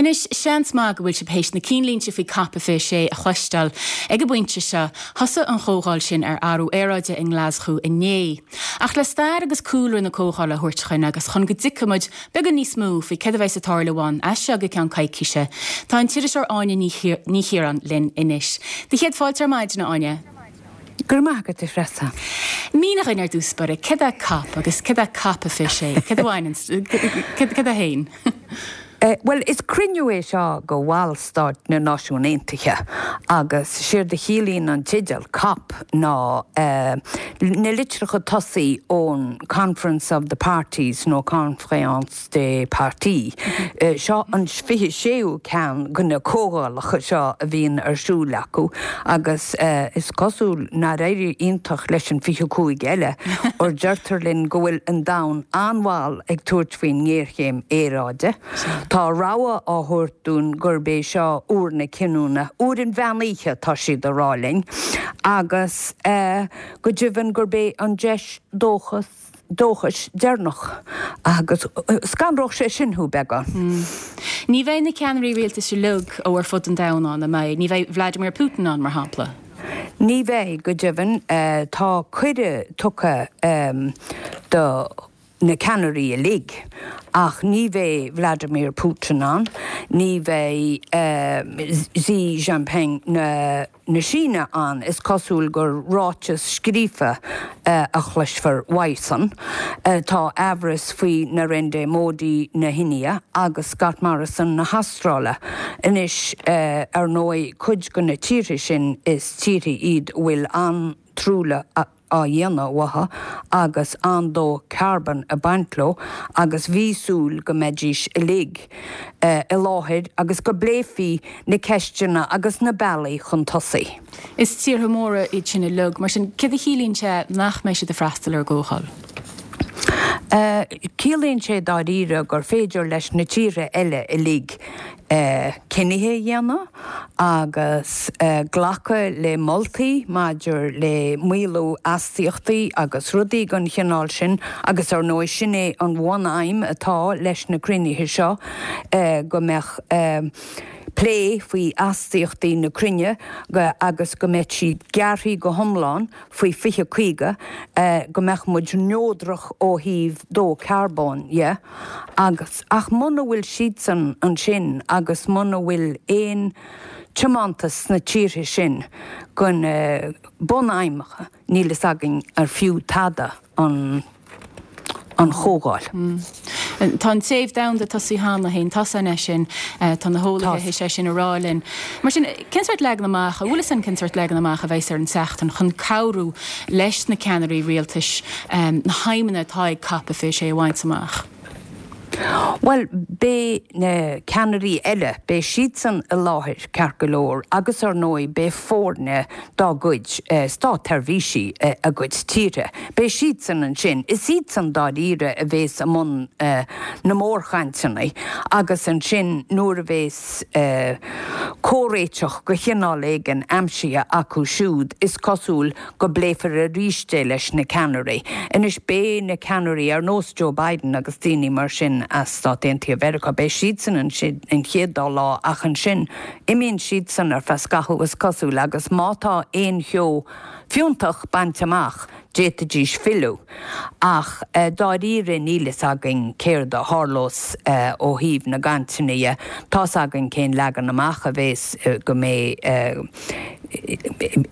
Anois, seans maith go bhfuil sibh théis na cinnlínte faoi Cop 26 a chloisteáil ag an bpointe seo. Thosaigh an chomhdháil sin ar athrú aeráide i nGlaschú inné. Ach le stair agus cúlra na comhdhála a thabhairt chugainn agus chun go dtuigfidh muid beagán níos mó faoi céard a bheas ag tarlú ann as seo go ceann coicíse, tá an t-iriseoir Áine Ní Chiaráin linn anois. Do chéad fáilte ar maidin, a Áine. Go raibh maith agat, a Threasa. Mínigh dhuinn ar dtús báire, céard é Cop agus céard é Cop 26? Céard a bhaineann, céard é féin? Bhuel, is cruinniú é seo go bhallstáit na Náisiún Aontaithe agus séard a chiallaíonn an teideal, Cop, ná na litreacha tosaigh ón Conference of the Parties nó Conférence des Parties. Seo an 26ú ceann de na comhdhálacha seo a bhíonn ar siúl acu agus is cosúil nár éirigh iontach leis an 25 eile, óir deirtear linn go bhfuil an domhan an-mhall ag tabhairt faoin ngéarchéim aeráide. Tá rabhadh á thabhairt dúinn gurb é seo uair na cinniúna, uair an mheán oíche tá siad a rá linn, agus go deimhin gurb é an deis dóchas, dóchais deireanach agus scanródh sé sin thú beagán. Ní bheidh na ceannairí rialtais uilig ó ar fud an domhain ann, an mbeidh? Ní bheidh Vladimir Putin ann, mar shampla? Ní bheidh, go deimhin. Tá cuireadh tugtha do na ceannairí uilig ach ní bheidh Vladimir Putin ann, ní bheidh Xi Jinping na na Síne ann. Is cosúil gur ráiteas scríofa a chloisfear uaidhsean. Tá aimhreas faoi Narendra Modi na hIndia agus Scott Morrison na hAstráile. Anois, ar ndóigh, cuid de na tíortha sin is tíortha iad a bhfuil an-truailliú á dhéanamh uathu agus an-dó carbóin ag baint leo agus bhí súil go mbeidís uilig i láthair agus go bpléifí na ceisteanna agus na bealaí chun tosaigh. Is tíortha móra iad sin uilig, mar sin céard a chiallaíonn sé nach mbeidh siad ag freastal ar an gcomhdháil? Ciallaíonn sé dáiríre gur féidir leis na tíortha eile uilig cinnithe a dhéanamh agus glacadh le moltaí maidir le maolú astaíochtaí agus rudaí den chineál sin agus ar ndóigh sin é an bhun-aidhm atá leis na cruinnithe seo, go mbeadh plé faoi astaíochtaí na cruinne agus go mbeadh siad gearrtha go hiomlán faoi 2050, go mbeadh muid neodrach ó thaobh dó carbóin dhe, agus, ach muna bhfuil siadsan ansin agus muna bhfuil aon tiomantas sna tíortha sin go na bunaidhmeacha, níl fhios againn ar fiú tada an. an chomhdháil. Tá an téamh domhanda tosaithe cheana féin, tá san é sin, tá na heolaithe théis é sin a rá linn. Mar sin, cén sórt leagan amach, an bhfuil fhios againn cén sórt leagan amach a bheas ar an tseachtain chun cabhrú leis na ceannairí rialtais na haidhmeanna atá ag Cop 26 a bhaint amach? Bhuel, beidh na ceannairí eile, beidh siadsan i láthair, ceart go leor, agus ar ndóigh beidh foirne dá gcuid státsheirbhísí a gcuid tíortha, beidh siadsan ansin. Is iadsan dáiríre a bhéas i mbun na mórchainteanna agus ansin nuair a bhéas comhréiteach de chineál éigin aimsithe acu siúd, is cosúil go bpléifear arís é leis na ceannairí. Anois beidh na ceannairí ar nós Joe Biden agus daoine mar sin as Stáit Aontaithe Mheiriceá, beidh siadsan ansin an chéad dá lá ach ansin imíonn siadsan ar feadh scaitheamh is cosúil agus má tá aon cheo fiúntach bainte amach d'fhéadfaidís filleadh. Ach dáiríre níl fhios againn céard a tharlós ó thaobh na gcainteanna dhe. Tá's againn cén leagan amach a bhéas, go mbeidh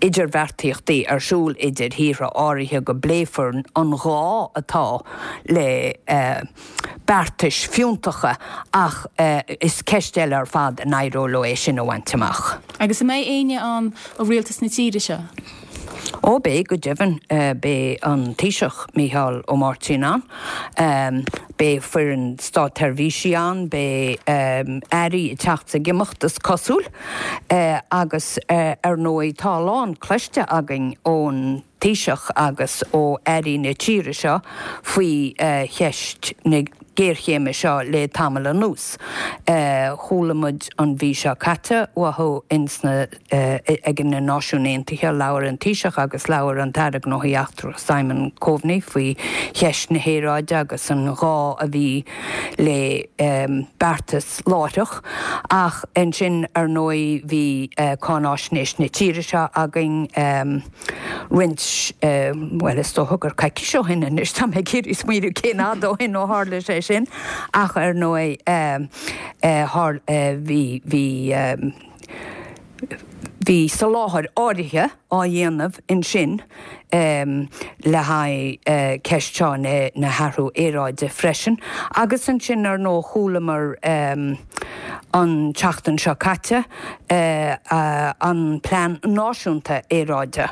idirbheartaíochtaí ar siúl idir thíortha áirithe, go bpléifear an gá atá le beartais fiúntacha ach is ceist eile ar fad an éireoidh leo é sin a bhaint amach. Agus an mbeidh éinne ann ó rialtas na tíre seo? Ó beidh, go deimhin. Beidh an Taoiseach, Micheál Ó Máirtín ann. Beidh foireann státsheirbhísí ann, beidh airí ag teacht 's ag imeacht is cosúil. Agus ar ndóigh tá a lán cloiste againn ón Taoiseach agus ó airí na tíre seo faoi cheist na. géarchéime seo le tamall anuas. Chuala muid an mhí seo caite uathu ins na, ag na Náisiúin Aontaithe, labhair an Taoiseach agus labhair an tAire Gnóthaí Eachtracha Simon Coveney faoi cheist na haeráide agus an gá a bhí le beartas láithreach. Ach ansin, ar ndóigh, bhí cáináisnéis na tíre seo againn roinnt, bhuel, is dócha gur coicís ó shin anois, tá mé ag iarraidh smaoineamh cén fhad ó shin ó tharla sé sin, ach ar ndóigh, bhí, bhí, bhí soláthar áirithe á dhéanamh ansin le haghaidh ceist seo na hathrú aeráide freisin. Agus ansin, ar ndóigh, chualamar an tseachtain seo caite an Plean Náisiúnta Aeráide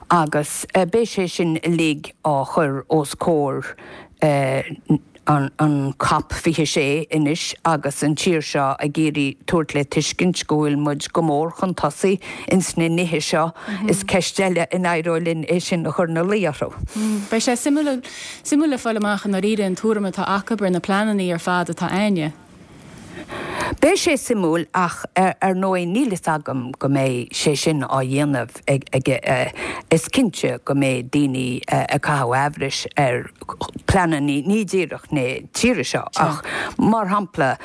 agus beidh sé sin uilig á chur os comhair an Cop 26 anois agus an tír seo ag iarraidh tabhairt le tuiscint go bhfuil muid go mór chun tosaigh ins na nithe seo, is ceist eile an éireoidh linn é sin a chur ina luí orthu. Beidh sé suimiúil suimiúil le fáil amach i ndáiríre an tuairim atá acu ar na pleananna ar fad atá a'inne. Beidh sé suimiúil ach ar ndóigh níl fhios agam go mbeidh sé sin á dhéanamh ag, is cinnte go mbeidh daoine ag caitheamh aimhris ar pleananna ní díreach na tíre seo ach mar shampla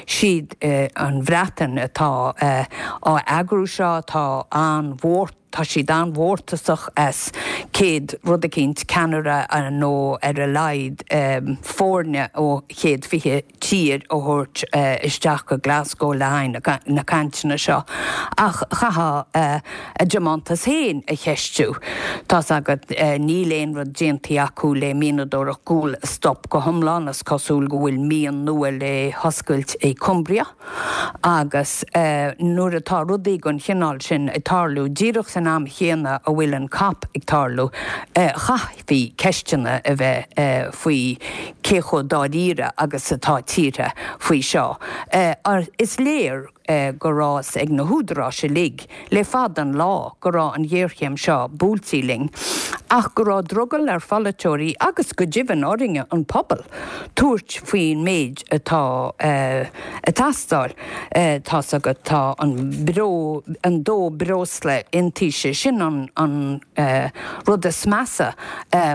siad an Bhreatain atá á eagrú seo, tá an-mhór. Tá siad an-mhórtasach as 100 rud eicínt, ceannaire nó ar a laghad foirne ó 120 tír a thabhairt isteach go Glasgow le haghaidh na cainteanna seo. Ach chaithfeá a dtiomantas féin a cheistiú. Tá's agat, níl aon rud déanta acu le mianadóireacht guail a stop go hiomlán, is cosúil go bhfuil mian nua le hoscailt i Cumbria. Agus nuair atá rudaí den chineál sin ag tarlú, díreach san am chéanna a bhfuil an cop ag tarlú, chaithfí ceisteanna a bheith faoi cé chomh dáiríre agus atá tíortha faoi seo. Is léir go raibh fhios ag na húdaráis uilig le fada an lá go raibh an ghéarchéim seo buailtí linn, ach go raibh drogall ar pholaiteoirí agus go deimhin orainne, an pobal, tabhairt faoin méid atá ag teastáil. Tá's agat, tá an breo, an dó breosla iontaise, sin an rud is measa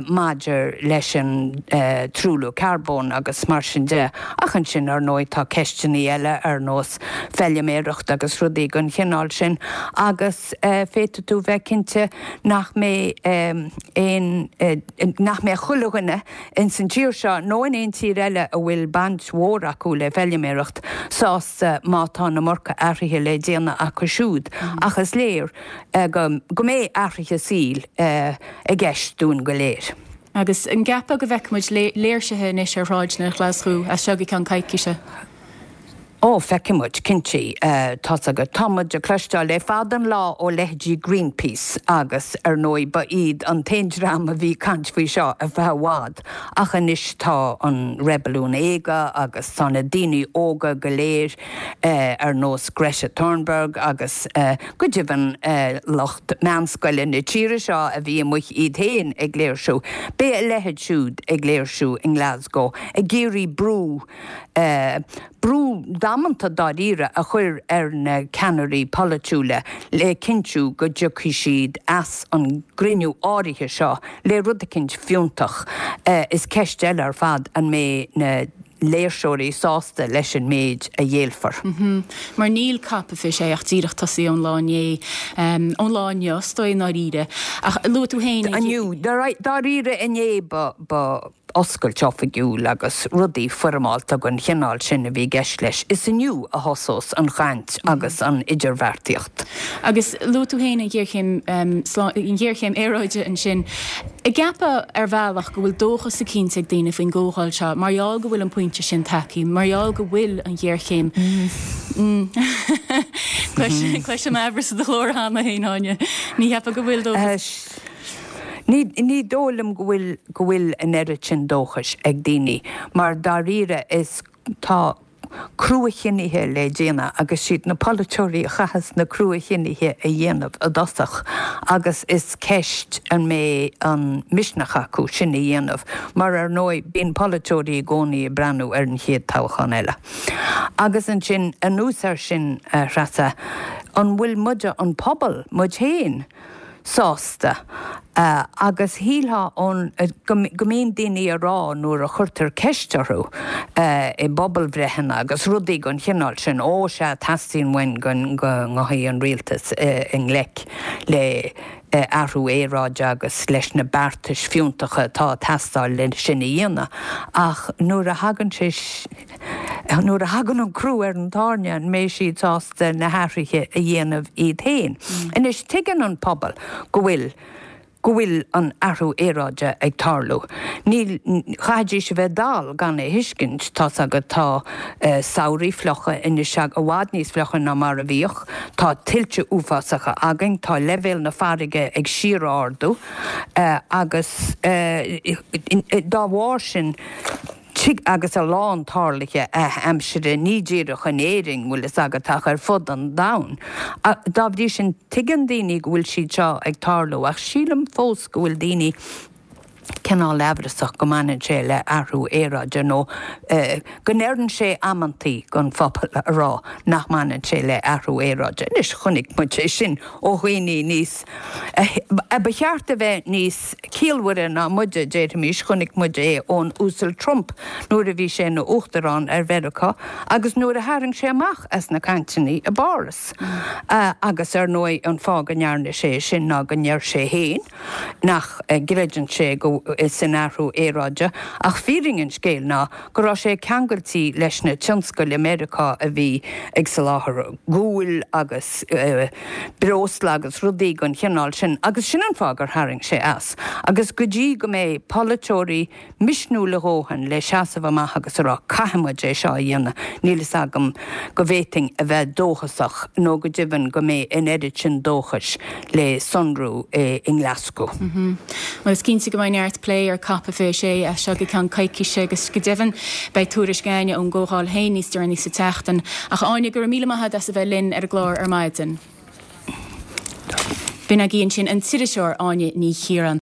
maidir leis an truailliú carbóin agus mar sin de. Ach ansin, ar ndóigh, tá ceisteanna eile ar nós feiliméireacht agus rudaí den chineál sin agus féadfaidh tú bheith cinnte nach mbeidh aon, nach mbeidh chuile dhuine ins an tír seo nó in aon tír eile a bhfuil baint mhór acu le feiliméireacht sásta má tá an iomarca athraithe le déanamh acu siúd ach is léir go mbeidh athraithe saoil i gceist dúinn go léir. Agus an gceapfá go bhfeicfidh muid léirsithe anois ar shráideanna Ghlaschú as seo go ceann coicíse? Ó, feicfidh muid, cinnte. Tá's agat, tá muid ag cloisteáil le fada an lá ó leithéidí Greenpeace agus, ar ndóigh, ba iad an t-aon dream a bhí ag caint faoi seo ar feadh i bhfad ach anois tá an reibiliún óige agus tá na daoine óga go léir ar nós Greta Thunberg agus go deimhin lucht meánscoile na tíre seo a bhí amuigh iad féin ag léirsiú. Beidh a leithéid siúd ag léirsiú i nGlasgow ag iarraidh brú brú damanta dáiríre a chur ar na ceannairí polaitiúla le cinntiú go dtiocfaidh siad as an gcruinniú áirithe seo le rud eicínt fiúntach. Is ceist eile ar fad an mbeidh na léirseoirí sásta leis an méid a ghéillfear. Mar níl COP 26 ach díreach tosaithe ón lá inné, ón lá inniu is dóigh i ndáiríre. Ach luaigh tú féin. Inniu, dáiríre inné ba oscailt oifigiúil agus rudaí foirmeálta den chineál sin a bhí i gceist leis. Is inniu a thosós an chaint agus an idirbheartaíocht. Agus luaigh tú féin an ghéarchéim, an ghéarchéim aeráide ansin. An gceapfá ar bhealach go bhfuil dóchas eicínt ag daoine faoin gcomhdháil seo mar gheall go bhfuil an pointe sin tagtha, mar gheall go bhfuil an ghéarchéim. Cloisim aimhreas i do ghlór cheana féin, Áine. Ní cheapfá go bhfuil dóchas. Ní, ní dóigh liom go bhfuil, go bhfuil an oiread sin dóchais ag daoine, mar dáiríre is, tá. crua-chinnithe le déanamh agus siad na polaiteoirí a chaitheas na crua-chinnithe a dhéanamh i dtosach agus is ceist an mbeidh an misneach acu sin a dhéanamh mar ar ndóigh bíonn polaiteoirí i gcónaí ag breathnú ar an chéad toghchán eile. Agus ansin anuas air sin a Threasa, an bhfuil muide, an pobal, muid féin, sásta agus shílfeá ón go mbíonn daoine a rá nuair a chuirtear ceist orthu i bpobalbhreitheanna agus rudaí den chineál sin, ó sea, teastaíonn uainn go ngabhfaidh an rialtas i ngleic le athrú aeráide agus leis na beartais fiúntacha atá ag teastáil le sin a dhéanamh ach nuair a thagann sé Nuair a thagann an crú ar an tairne, an mbeidh siad sásta na hathruithe a dhéanamh iad féin? Anois, tuigeann an pobal go bhfuil go bhfuil an athrú aeráide ag tarlú. Níl, chaithfidís a bheith dall gan é a thuiscint. Tá's agat, tá samhraí fliucha anois, i bhfad níos fliucha ná mar a bhíodh, tá tuilte uafásacha againn, tá leibhéal na farraige ag síor-ardú agus dá bharr sin, Tig agus a lán tarluithe adhaimsire, ní díreach in Éirinn, bhfuil fhios agat, ach ar fud an domhain. Dá bhrí sin, tuigeann daoine go bhfuil siad seo ag tarlú, ach sílim fós go bhfuil daoine cineál aimhreasach go mbaineann sé le athrú aeráide, nó go n-oireann sé amantaí don phobal a rá nach mbaineann sé le athrú aeráide. Anois, chonaic muid é sin ó dhaoine níos, a ba cheart a bheith níos ciallmhaire ná muide, déarfaimis, chonaic muid é ón Uasal Trump nuair a bhí sé ina Uachtarán ar Mheiriceá agus nuair a tharraing sé amach as na cainteanna i bPáras. Agus ar ndóigh an fáth go ndearna sé sin ná go ndeir sé féin nach gcreideann sé go san athrú aeráide ach fírinne an scéil ná go raibh sé ceangailte leis na tionscail i Meiriceá a bhí ag soláthar guail agus breosla agus rudaí den chineál sin agus sin an fáth gur tharraing sé as. Agus go dtí go mbeidh polaiteoirí misniúil a dhóthain le seasamh amach agus a rá 'caithfidh muid é seo a dhéanamh', níl fhios agam go bhféadfainn a bheith dóchasach nó go deimhin go mbeidh an oiread sin dóchais le sonrú i nGlaschú. Bhuel, is cinnte go mbeidh neart plé ar Cop 26 as seo go ceann coicíse agus go deimhin beidh tuairisc Áine ón gcomhdháil féin níos deireanaí sa tseachtain. Ach Áine, go raibh míle maith agat as a bheith linn ar an gclár ar maidin. B'in agaibh ansin an t-iriseoir Áine Ní Chiaráin.